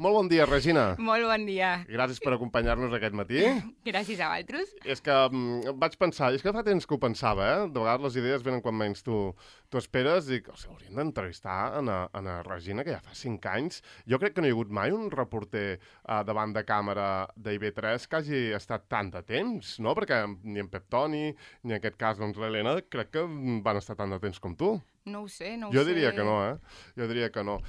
Molt bon dia, Regina. Molt bon dia. Gràcies per acompanyar-nos aquest matí. Gràcies a vosaltres. És que vaig pensar, és que fa temps que ho pensava, De vegades les idees venen quan menys tu esperes i hauríem d'entrevistar a Regina, que ja fa 5 anys. Jo crec que no hi ha hagut mai un reporter davant de càmera d'IV3 que hagi estat tant de temps, no? Perquè ni en Pep Toni, ni en aquest cas doncs, l'Helena, crec que van estar tant de temps com tu. No ho sé, Jo diria que no, Jo diria que no.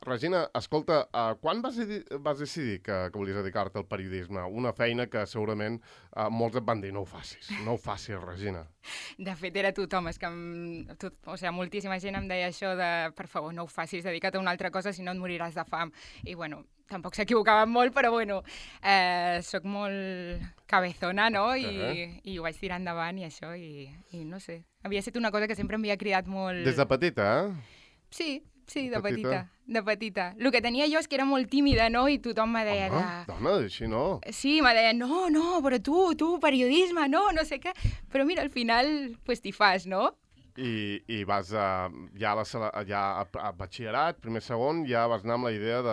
Regina, escolta, quan vas decidir que volies dedicar-te al periodisme? Una feina que segurament molts et van dir, no ho facis, Regina. De fet, era tothom, és que moltíssima gent em deia això de, per favor, no ho facis, dedica't a una altra cosa, si no et moriràs de fam. I bueno, tampoc s'equivocaven molt, però bueno, soc molt cabezona, no? I ho vaig tirar endavant i això, i no sé. Havia estat una cosa que sempre m'havia cridat molt... Des de petita, Sí, de petita. El que tenia jo és que era molt tímida, no? I tothom me deia... Dona, així no. Sí, me deia, no, però tu, periodisme, no sé què. Però mira, al final, pues t'hi fas, no? I vas ja a batxillerat, primer, segon, ja vas anar amb la idea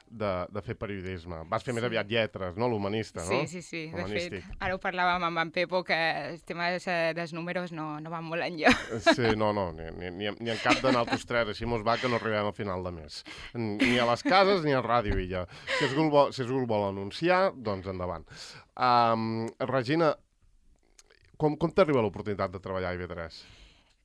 de fer periodisme. Vas fer més aviat lletres, no? L'humanista, no? Sí. De fet, ara ho parlàvem amb en Pepo, que el tema dels números no van molt enllà. Sí, no, ni en cap de nosaltres tres, així mos va que no arribem al final de mes. Ni a les cases ni a ràdio i ja. Si algú vol anunciar, doncs endavant. Regina, com t'arriba l'oportunitat de treballar a IB3?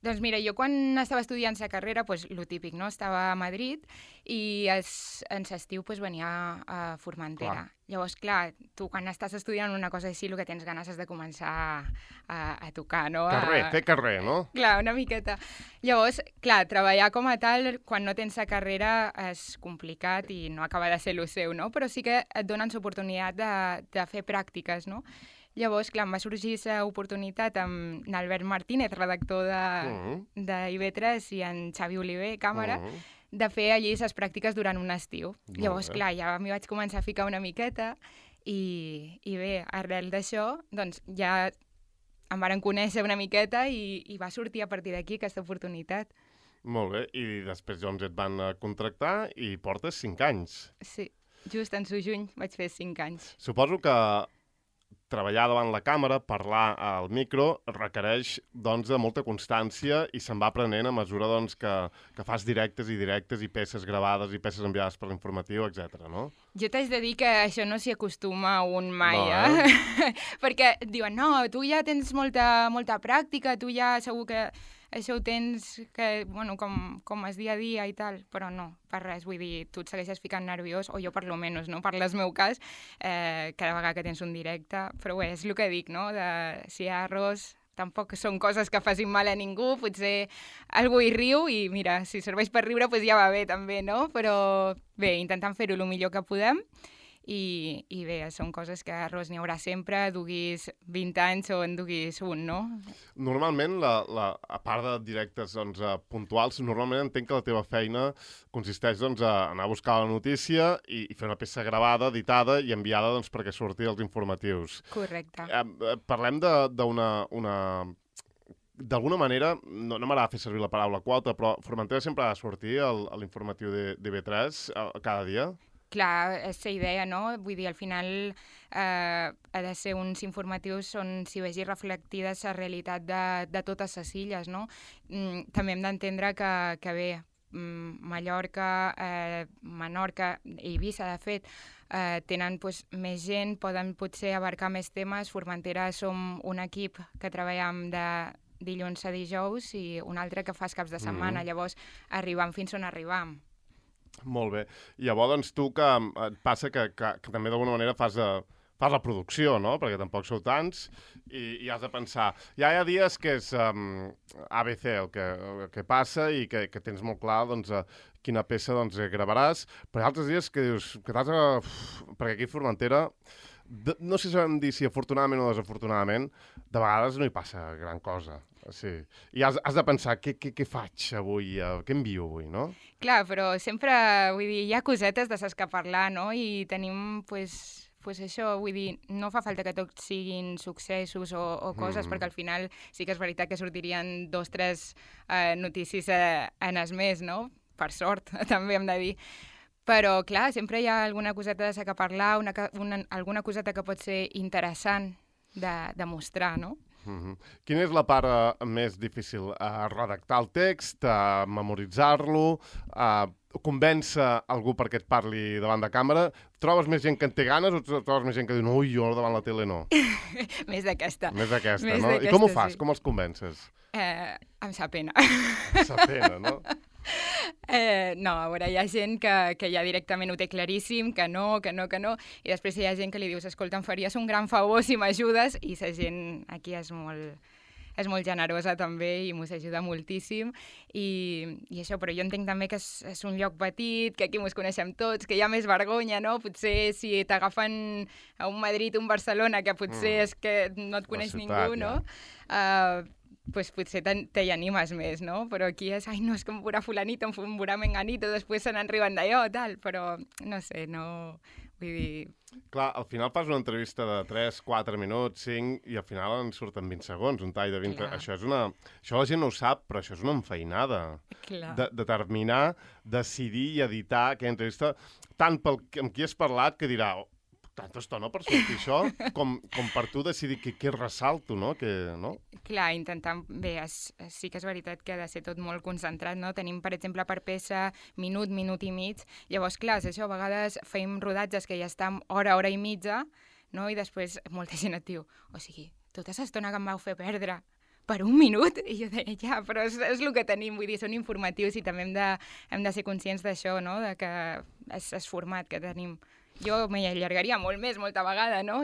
Doncs mira, jo quan estava estudiant la carrera, pues, lo típic, no? Estava a Madrid i en l'estiu pues, venia a Formentera. Clar. Llavors, clar, tu quan estàs estudiant una cosa així, el que tens ganes és de començar a tocar, no? Fer carrer, no? Clar, una miqueta. Llavors, clar, treballar com a tal, quan no tens la carrera, és complicat i no acaba de ser el seu, no? Però sí que et donen l'oportunitat de fer pràctiques, no? Llavors, clar, em va sorgir l'oportunitat amb l'Albert Martínez, redactor de IB3, i en Xavi Oliver, càmera, de fer allí les pràctiques durant un estiu. Llavors, clar, ja m'hi vaig començar a ficar una miqueta i bé, arrel d'això, doncs ja em varen conèixer una miqueta i va sortir a partir d'aquí aquesta oportunitat. Molt bé, i després doncs et van contractar i portes 5 anys. Sí, just en juny vaig fer 5 anys. Suposo que treballar davant la càmera, parlar al micro, requereix doncs, de molta constància i se'n va aprenent a mesura doncs, que fas directes i peces gravades i peces enviades per l'informatiu, etc. no? Jo t'haig de dir que això no s'hi acostuma un mai, Perquè diuen, no, tu ja tens molta pràctica, tu ja segur que això ho tens com és dia a dia i tal, però no, per res, vull dir, tu et segueixes ficant nerviós, o jo per lo menys, no? Per el meu cas, cada vegada que tens un directe, però bé, és el que dic, no? Si hi ha errors, tampoc són coses que facin mal a ningú, potser algú hi riu i mira, si serveix per riure, doncs ja va bé també, no? Però bé, intentant fer-ho el millor que podem, i bé, són coses que errors n'hi haurà sempre, duguis 20 anys o en duguis un, no? Normalment, a part de directes doncs, puntuals, normalment entenc que la teva feina consisteix doncs, a anar a buscar la notícia i fer una peça gravada, editada i enviada doncs, perquè surti als informatius. Correcte. Parlem d'alguna manera, no m'agrada fer servir la paraula quota, però Formentera sempre ha de sortir a l'informatiu d'IV3 cada dia? Clar, és la idea, no? Vull dir, al final ha de ser uns informatius on s'hi vegi reflectida la realitat de totes les illes, no? També hem d'entendre que bé, Mallorca, Menorca i Eivissa, de fet, tenen més gent, poden potser abarcar més temes. Formentera som un equip que treballem de dilluns a dijous i un altre que fa els caps de setmana, llavors arribam fins on arribam. Molt bé. I llavors, doncs, tu que et passa que també d'alguna manera fas la producció, no? Perquè tampoc sou tants i has de pensar. Ja hi ha dies que és ABC el que passa i que tens molt clar doncs, quina peça doncs, gravaràs, però hi ha altres dies que dius que perquè aquí a Formentera, no sé si sabem dir si afortunadament o desafortunadament, de vegades no hi passa gran cosa. Sí. I has de pensar què faig avui, què envio avui, no? Clar, però sempre, vull dir, hi ha cosetes de les que parlar, no? I tenim, pues això, vull dir, no fa falta que tots siguin successos o coses, perquè al final sí que és veritat que sortirien 2 o 3 notícies en el mes, no? Per sort, també hem de dir. Però, clar, sempre hi ha alguna coseta de sacar a parlar, alguna coseta que pot ser interessant de mostrar, no? Quina és la part més difícil? Redactar el text, memoritzar-lo, convèncer algú perquè et parli davant de càmera? Trobes més gent que en té ganes o trobes més gent que diu ui, jo davant la tele no? Més d'aquesta. Més d'aquesta, no? I com ho fas? Sí. Com els convences? Em sap pena. Sap pena, no? No, a veure, hi ha gent que ja directament ho té claríssim, que no, i després hi ha gent que li dius, escolta, em faries un gran favor si m'ajudes, i la gent aquí és molt generosa també i mos ajuda moltíssim, i això, però jo entenc també que és un lloc petit, que aquí mos coneixem tots, que hi ha més vergonya, no? Potser si t'agafen a un Madrid, un Barcelona, que potser és que no et coneix ningú, no? Pues potser t'hi animes més, no? Però aquí és, ai, no, és que em veurà fulanito, em veurà menganito, després se n'enriben d'allò, tal, però no sé, no... Vull dir... Clar, al final fas una entrevista de 3, 4 minuts, 5, i al final en surten 20 segons, un tall de 20... Clar. Això la gent no ho sap, però això és una enfeinada. Clar. Determinar, decidir i editar aquella entrevista, tant amb qui has parlat, que dirà... tanta estona per sortir això, com per tu decidir què ressalto, no? Clar, intentant... Bé, sí que és veritat que ha de ser tot molt concentrat, no? Tenim, per exemple, per peça minut i mig. Llavors, clar, és això, a vegades fem rodatges que ja estan hora i mitja, no? I després molta gent et diu, o sigui, tota l'estona que em vau fer perdre per un minut? I jo deia, ja, però és el que tenim, vull dir, són informatius i també hem de ser conscients d'això, no? De que és format que tenim. Jo m'hi allargaria molt més, molta vegada, no?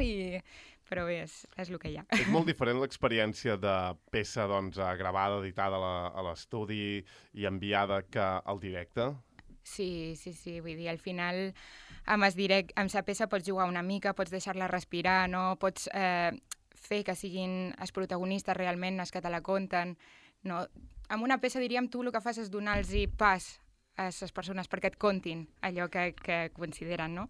Però bé, és el que hi ha. És molt diferent l'experiència de peça gravada, editada a l'estudi i enviada que al directe? Sí, vull dir, al final amb la peça pots jugar una mica, pots deixar-la respirar, no? Pots fer que siguin els protagonistes realment els que te la conten, no? Amb una peça, diríem, tu el que fas és donar-los pas a les persones perquè et contin allò que consideren, no?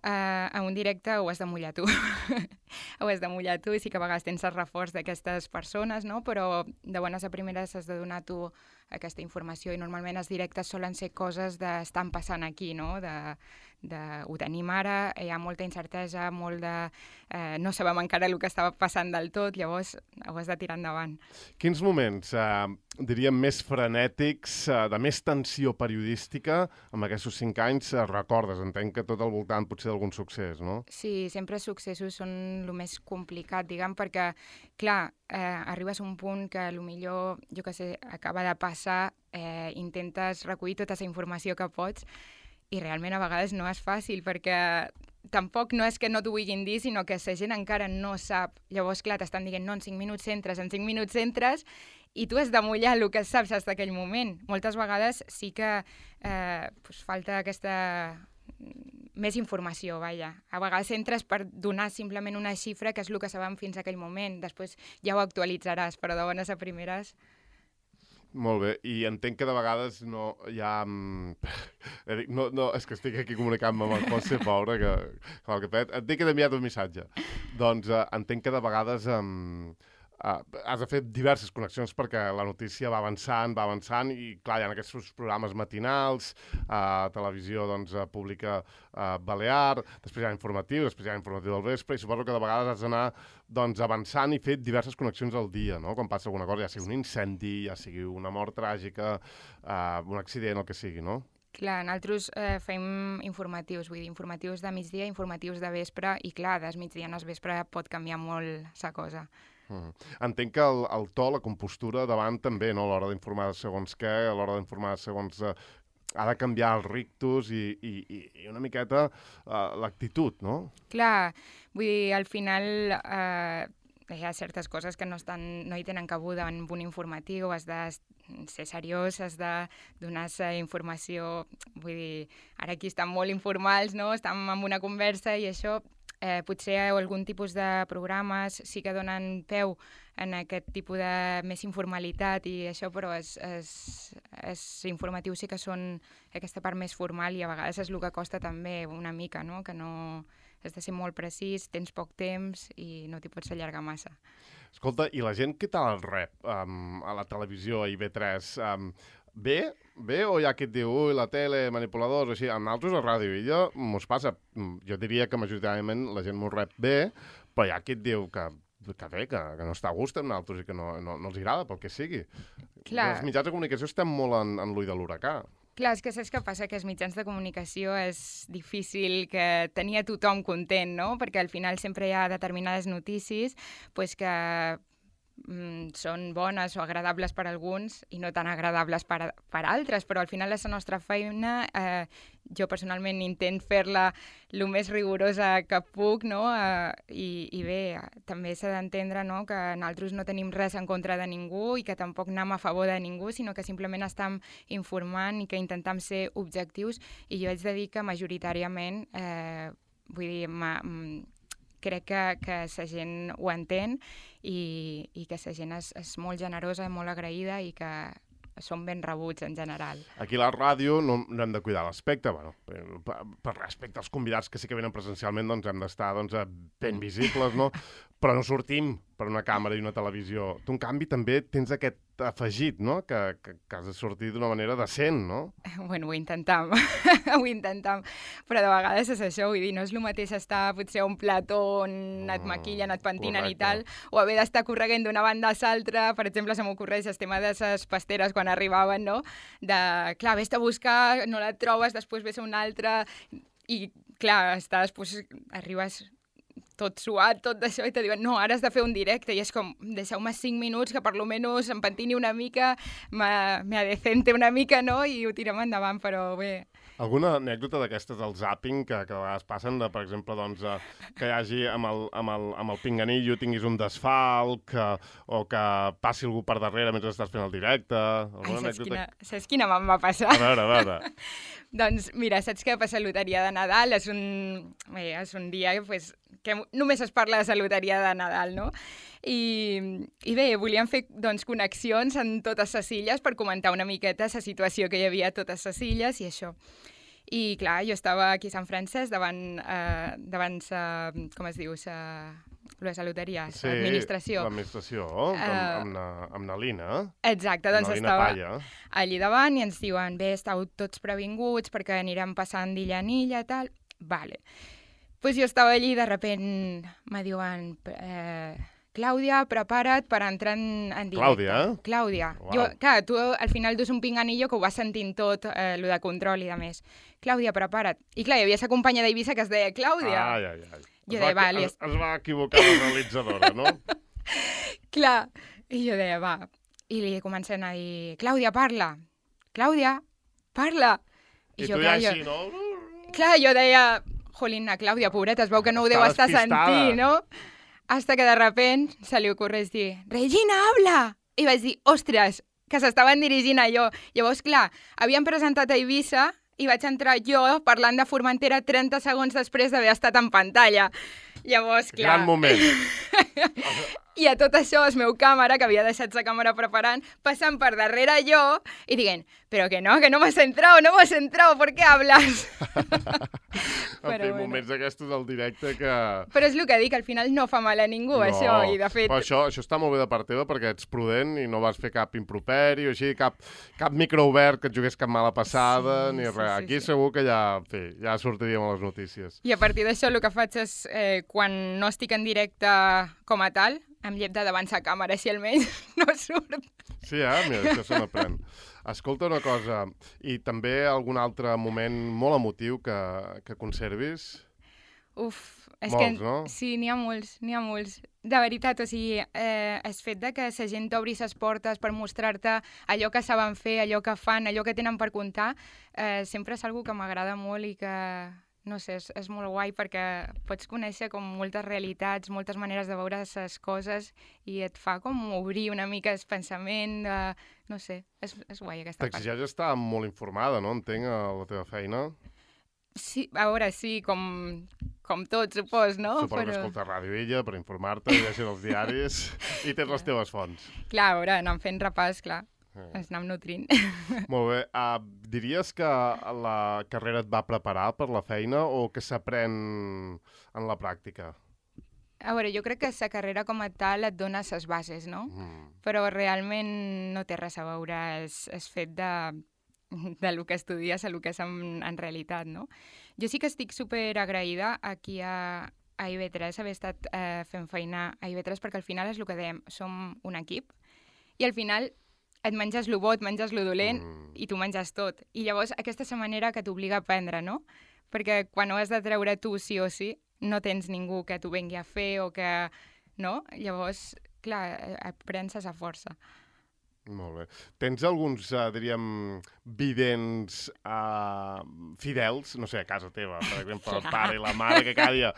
En un directe ho has de mullar tu. Ho has de mullar tu i sí que a vegades tens el reforç d'aquestes persones, no? Però de bones a primeres has de donar tu aquesta informació i normalment els directes solen ser coses d'estan passant aquí, no? Ho tenim ara, hi ha molta incertesa, molt de... no sabem encara el que estava passant del tot, llavors ho has de tirar endavant. Quins moments, diríem, més frenètics, de més tensió periodística, amb aquests 5 anys recordes? Entenc que tot al voltant potser d'algun succés, no? Sí, sempre els successos són el més complicat, diguem, perquè, clar, arribes a un punt que potser, jo què sé, acaba de passar, intentes recollir tota la informació que pots i realment a vegades no és fàcil perquè tampoc no és que no t'ho vulguin dir, sinó que la gent encara no sap. Llavors, clar, t'estan dient, no, en 5 minuts entres, i tu has de mullar el que saps fins d'aquell moment. Moltes vegades sí que falta aquesta més informació, vaja. A vegades entres per donar simplement una xifra que és el que sabem fins aquell moment. Després ja ho actualitzaràs, però de bones a primeres... Molt bé, i entenc que de vegades no hi ha... No, és que estic aquí comunicant-me amb el José, pobre, que et dic que t'he enviat un missatge. Doncs entenc que de vegades has de fer diverses connexions perquè la notícia va avançant i, clar, hi ha aquests programes matinals, televisió pública balear, després hi ha informatiu del vespre, i suposo que de vegades has d'anar avançant i fer diverses connexions al dia, no? Quan passa alguna cosa, ja sigui un incendi, ja sigui una mort tràgica, un accident, el que sigui, no? Clar, nosaltres fem informatius, vull dir, informatius de migdia, informatius de vespre, i clar, des migdia al vespre pot canviar molt la cosa. Entenc que el to, la compostura davant també, no? A l'hora d'informar segons què, a l'hora d'informar segons... ha de canviar els rictus i una miqueta l'actitud, no? Clar, vull dir, al final hi ha certes coses que no hi tenen cabuda en un informatiu, has de ser seriós, has de donar informació, vull dir, ara aquí estan molt informals, no? Estem en una conversa i això... potser algun tipus de programes sí que donen peu en aquest tipus de més informalitat i això, però els informatius sí que són aquesta part més formal i a vegades és el que costa també una mica, no? Que no has de ser molt precís, tens poc temps i no t'hi pots allargar massa. Escolta, i la gent, què tal el rep a la televisió, a IB3? bé o hi ha qui et diu, ui, la tele, manipuladors, així. Amb nosaltres a Ràdio Illa mos passa, jo diria que majoritàriament la gent mos rep bé, però hi ha qui et diu que bé, que no està a gust amb nosaltres i que no els agrada, pel que sigui. Clar. Els mitjans de comunicació estem molt en l'ull de l'huracà. Clar, és que saps què passa? Que els mitjans de comunicació és difícil que tenir a tothom content, no? Perquè al final sempre hi ha determinades notícies pues, que són bones o agradables per a alguns i no tan agradables per altres, però al final és la nostra feina. Jo personalment intent fer-la el més rigorosa que puc, no? I bé, també s'ha d'entendre, no? Que nosaltres no tenim res en contra de ningú i que tampoc anem a favor de ningú, sinó que simplement estem informant i que intentem ser objectius, i jo haig de dir que majoritàriament, vull dir, crec que la gent ho entén i que la gent és molt generosa, molt agraïda i que són ben rebuts en general. Aquí a la ràdio no hem de cuidar l'aspecte, bueno, per respecte als convidats que sí que venen presencialment, doncs hem d'estar ben visibles, no? Però no sortim per una càmera i una televisió. Tu, en canvi, també tens aquest afegit, no? Que has de sortir d'una manera decent, no? Bueno, ho intentam, ho intentam, però de vegades és això, vull dir, no és el mateix estar potser a un plató on et maquillen, et pentinen i tal, o haver d'estar correguent d'una banda a l'altra. Per exemple, se m'ocorreix el tema de les pasteres quan arribaven, no? Clar, vés-te a buscar, no la trobes, després ves a una altra, i clar, estàs, doncs, arribes tot suat, tot d'això, i te diuen, no, ara has de fer un directe, i és com, deixeu-me 5 minuts que per lo menys em pentini una mica, me adecente una mica, no?, i ho tirem endavant, però bé. Alguna anècdota d'aquestes del zàping que de vegades passen, per exemple, doncs, que hi hagi amb el pinganillo tinguis un desfalc, o que passi algú per darrere mentre estàs fent el directe? Saps quina me'n va passar? A veure. Doncs mira, saps que per la loteria de Nadal és un dia pues, que només es parla de la loteria de Nadal, no? I bé, volíem fer doncs, connexions en totes les illes per comentar una miqueta la situació que hi havia a totes les illes i això. I clar, jo estava aquí a Sant Francesc davant com es diu, la loteria, sí, l'administració. L'administració, amb na Lina. Exacte, doncs estava allí davant i ens diuen, bé, estàu tots previnguts perquè anirem passant d'illa en illa, tal. Vale. Pues jo estava allí i de repent me diuen... Clàudia, prepara't per entrar en directe. Clàudia? Clàudia. Wow. Jo, clar, tu al final dus un pinganillo que ho vas sentint tot, lo de control i de més. Clàudia, prepara't. I clar, hi havia la companya d'Eivissa que es deia Clàudia. Ai. Jo deia, va, es va equivocar la realitzadora, no? Clar. I jo deia, va. I li comencen a dir, Clàudia, parla. Clàudia, parla. I tu ja així, no? Clar, jo deia, jolín, Clàudia, pobreta, es veu que no ho deu estar sentint, no? Hasta que de repent se li ocorreix dir, Regina, habla! I vaig dir, ostres, que s'estaven dirigint a jo. Llavors, clar, havien presentat a Eivissa i vaig entrar jo parlant de Formentera 30 segons després d'haver estat en pantalla. Llavors, clar... Gran moment. I a tot això, el meu càmera, que havia deixat la càmera preparant, passant per darrere jo i dient, però que no m'has entrado, ¿por qué hablas? Moments d'aquestos del directe que... Però és el que dic, al final no fa mal a ningú, això, i de fet... Però això està molt bé de part teva perquè ets prudent i no vas fer cap improperi o així, cap micro obert que et jugués cap mala passada, ni res. Aquí segur que ja sortiríem a les notícies. I a partir d'això el que faig és, quan no estic en directe com a tal, em llep de davant la càmera, així almenys no surt. Sí, mira, això se n'aprèn. Escolta una cosa, i també algun altre moment molt emotiu que conservis? És molts, que, no? Sí, n'hi ha molts. De veritat, o sigui, el fet de que la gent t'obri les portes per mostrar-te allò que saben fer, allò que fan, allò que tenen per contar, sempre és algo que m'agrada molt i que... No sé, és molt guai perquè pots conèixer com moltes realitats, moltes maneres de veure les coses i et fa com obrir una mica el pensament, no sé, és guai aquesta part. T'exigeix estar molt informada, no? Entenc, a la teva feina. Sí, a veure, sí, com tot, supos, no? Suposo que escoltes Ràdio Illa per informar-te, llegir els diaris i tens les teves fonts. Clar, a veure, anant fent repàs, clar. Ens anem nutrint. Molt bé. Diries que la carrera et va preparar per la feina o que s'aprèn en la pràctica? A veure, jo crec que la carrera com a tal et dona les bases, no? Però realment no té res a veure el fet del que estudies a el que és en realitat, no? Jo sí que estic super agraïda aquí a IB3 haver estat fent feina a IB3 perquè al final és el que dèiem, som un equip i al final et menges lo bo, et menges lo dolent i tu menges tot. I llavors aquesta és la manera que t'obliga a aprendre, no? Perquè quan ho has de treure tu sí o sí, no tens ningú que t'ho vengui a fer o que... no? Llavors, clar, aprens a força. Molt bé. Tens alguns, diríem, vidents fidels, no sé, a casa teva, per exemple, el pare i la mare, que cada dia...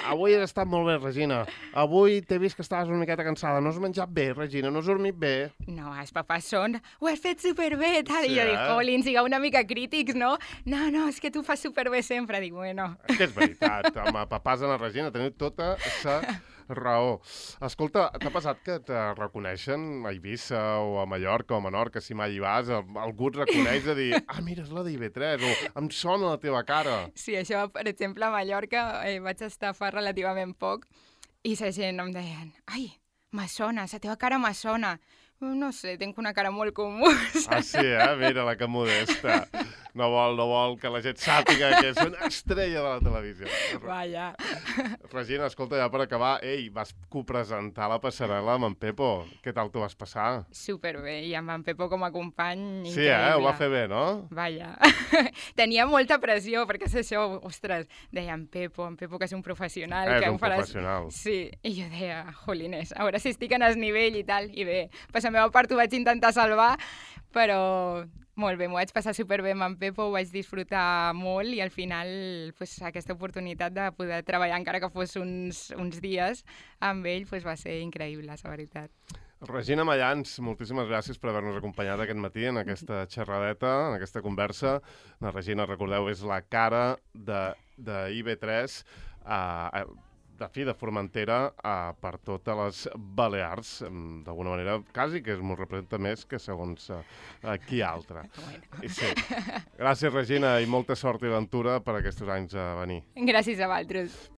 Avui has estat molt bé, Regina. Avui t'he vist que estaves una miqueta cansada. No has menjat bé, Regina, no has dormit bé. No, els papàs són... Ho has fet superbé, tal. Sí, I jo dic, Colin, sigueu una mica crítics, no? No, és que tu fas superbé sempre. Dic, bueno... És que és veritat, home, papàs de la Regina, teniu tota sa raó. Escolta, t'ha passat que te reconeixen a Eivissa o a Mallorca o a Menorca, si mai hi vas, algú et reconeix de dir, mira, és la d'IB3, o em sona la teva cara. Sí, això, per exemple, a Mallorca vaig estar fa relativament poc i la gent em deien, ai, me sona, la teva cara me sona. No sé, tinc una cara molt comú. Ah, sí, mira, la que modesta. No vol que la gent sàpiga que és una estrella de la televisió. Vaja. Regina, escolta, ja per acabar, vas copresentar la passarel·la amb en Pepo. Què tal t'ho vas passar? Superbé, i amb en Pepo com a company, sí, increïble. Ho va fer bé, no? Vaja. Tenia molta pressió, perquè és això, ostres, deia en Pepo que és un professional. És que un professional. Sí, i jo deia, jolines, a veure si estic en el nivell i tal, i bé, per la meva part ho vaig intentar salvar, però molt bé, m'ho vaig passar superbé amb en Pepo, ho vaig disfrutar molt i al final pues, aquesta oportunitat de poder treballar encara que fos uns dies amb ell pues, va ser increïble, la veritat. Regina Mayans, moltíssimes gràcies per haver-nos acompanyat aquest matí en aquesta xerradeta, en aquesta conversa. La Regina, recordeu, és la cara de IB3, de Formentera per totes les Balears, d'alguna manera, quasi que es m'ho representa més que segons qui altre. Sí. Gràcies, Regina, i molta sort i aventura per aquests anys a venir. Gràcies a vosaltres.